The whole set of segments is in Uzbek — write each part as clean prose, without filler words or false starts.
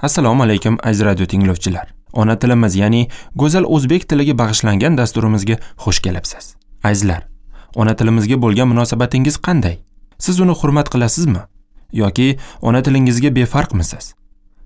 Assalomu alaykum aziz radio tinglovchilar. Ona tilimiz, ya'ni go'zal o'zbek tiliga bag'ishlangan dasturimizga xush kelibsiz. Azizlar, ona tilimizga bo'lgan munosabatingiz qanday? Siz uni hurmat qilasizmi yoki ona tilingizga befarqmisiz?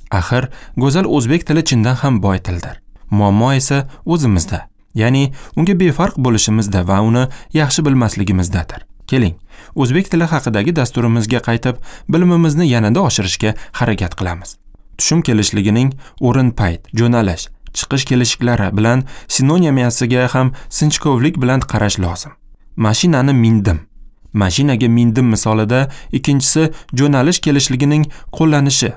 Axir, go'zal o'zbek tili chindan ham boy tildir. Muammo esa o'zimizda, ya'ni unga befarq bo'lishimizda va uni yaxshi bilmasligimizdadir. Keling, o'zbek tili haqidagi dasturimizga qaytib, bilimimizni yanada oshirishga harakat qilamiz. Tushum kelishligining o'rin, payt, jo'nalish, chiqish kelishiklari bilan sinonimiyasiga ham sinchkovlik bilan qarash lozim. Mashinani mindim, mashinaga mindim misolida ikkinchisi jo'nalish kelishligining qo'llanishi.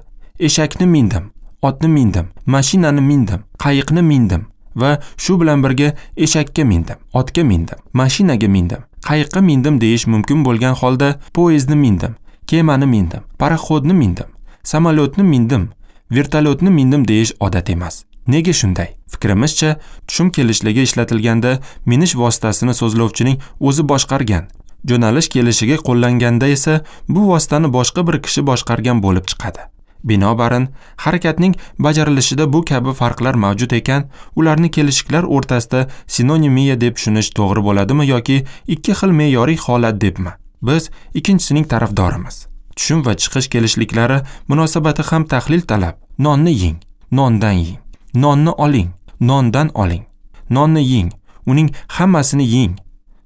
Eshakni mindim, otni mindim, mashinani mindim, qayiqni mindim va shu bilan birga eshakka mindim, otga mindim, mashinaga mindim, qayiqqa mindim deyish mumkin bo'lgan holda poyezdni mindim, kemani mindim, paroxodni mindim, samolyotni mindim, vertolyotni mindim deyish odat emas. Nega shunday? Fikrimizcha, tushum kelishligi ishlatilganda minish vositasini so'zlovchining o'zi boshqargan, jo'nalish kelishiga qo'llanganda esa bu vositani boshqa bir kishi boshqargan bo'lib chiqadi. Binobarin, harakatning bajarilishida bu kabi farqlar mavjud ekan, ularni kelishiklar o'rtasida sinonimiya deb tushunish to'g'ri bo'ladimi yoki ikki xil me'yoriy holat debmi? Biz ikkinchisining tarafdorimiz. Tushum va chiqish kelishliklari munosabati ham tahlil talab. Nonni yeng, nondan yeng. Nonni oling, nondan oling. Nonni yeng, uning hammasini yeng.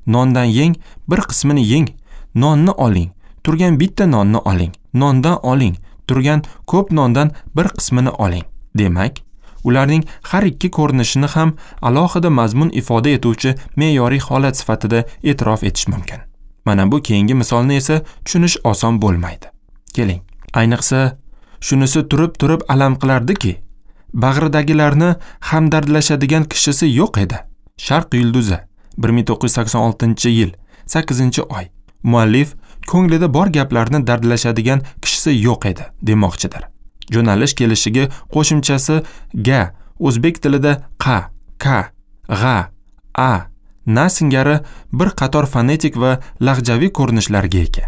Nondan yeng, bir qismini yeng. Nonni oling, turgan bitta nonni oling. Nondan oling, turgan ko'p nondan bir qismini oling. Demak, ularning har ikki ko'rinishini ham alohida mazmun ifoda etuvchi me'yoriy holat sifatida e'tirof etish mumkin. Mana bu keyingi misolni esa tushunish oson bo'lmaydi. Keling, ayniqsa shunisi turib-turib alam qilardiki, bag'ridagilarni hamdardlashadigan kishisi yo'q edi. Sharq yulduzi, 1986-yil, 8-oy. Muallif ko'nglida bor gaplarni dardlashadigan kishisi yo'q edi demoqchidir. Jo'nalish kelishiga qo'shimchasi ga o'zbek tilida qa, ka, g'a, a, na singari bir qator fonetik va lahjaviy ko'rinishlarga ega.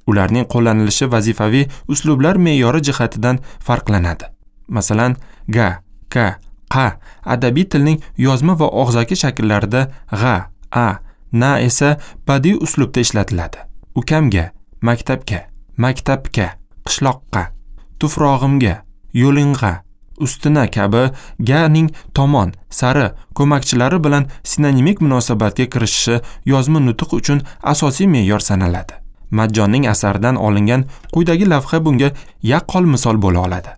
Ularning qo'llanilishi vazifaviy uslublar me'yori jihatidan farqlanadi. Masalan, ga, ka, qa adabiy tilning yozma va og'zaki shakllarida, g'a, a, na esa badiiy uslubda ishlatiladi. Ukamga, maktabga, maktabga, qishloqqa, tufrog'imga, yo'ling'a, ustina kabi ga ning tomon, sari ko'makchilari bilan sinonimik munosabatga kirishishi yozma nutq uchun asosiy me'yor sanaladi. Majjonning asaridan olingan quyidagi lavha bunga yaqqol misol bo'la oladi.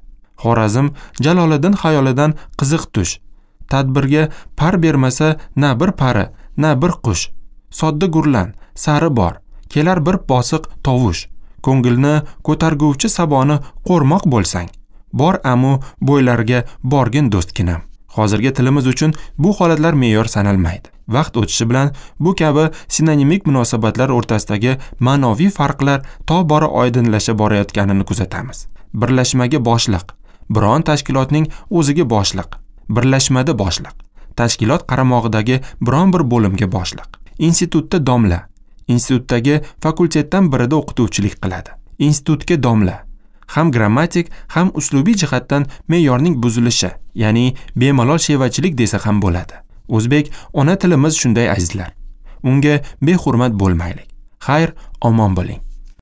Xorazm Jaloliddin xayolidan qiziq tush. Tadbirga par bermasa na bir pari, na bir qush. Sodda gurlan, sari bor, kelar bir bosiq tovush. Ko'ngilni ko'targuvchi saboni qo'rmoq bo'lsang, bor amu bo'ylarga borgin do'stginam. Hozirgi tilimiz uchun bu holatlar me'yor sanalmaydi. Vaqt o'tishi bilan bu kabi sinonimik munosabatlar o'rtasidagi ma'noviy farqlar tobora oydinlasha borayotganini kuzatamiz. Birlashmaga boshliq, biron tashkilotning o'ziga boshliq, birlashmada boshliq, tashkilot qaramog'idagi biron bir bo'limga boshliq, institutda domla, institutdagi fakultetdan birida o'qituvchilik qiladi. Institutga domla ham grammatik, ham uslubiy jihatdan me'yorning buzilishi, ya'ni bemalol shevachilik desa ham bo'ladi. O'zbek ona tilimiz shunday azizlar. Unga behurmat bo'lmaylik. Xayr, omon bo'ling.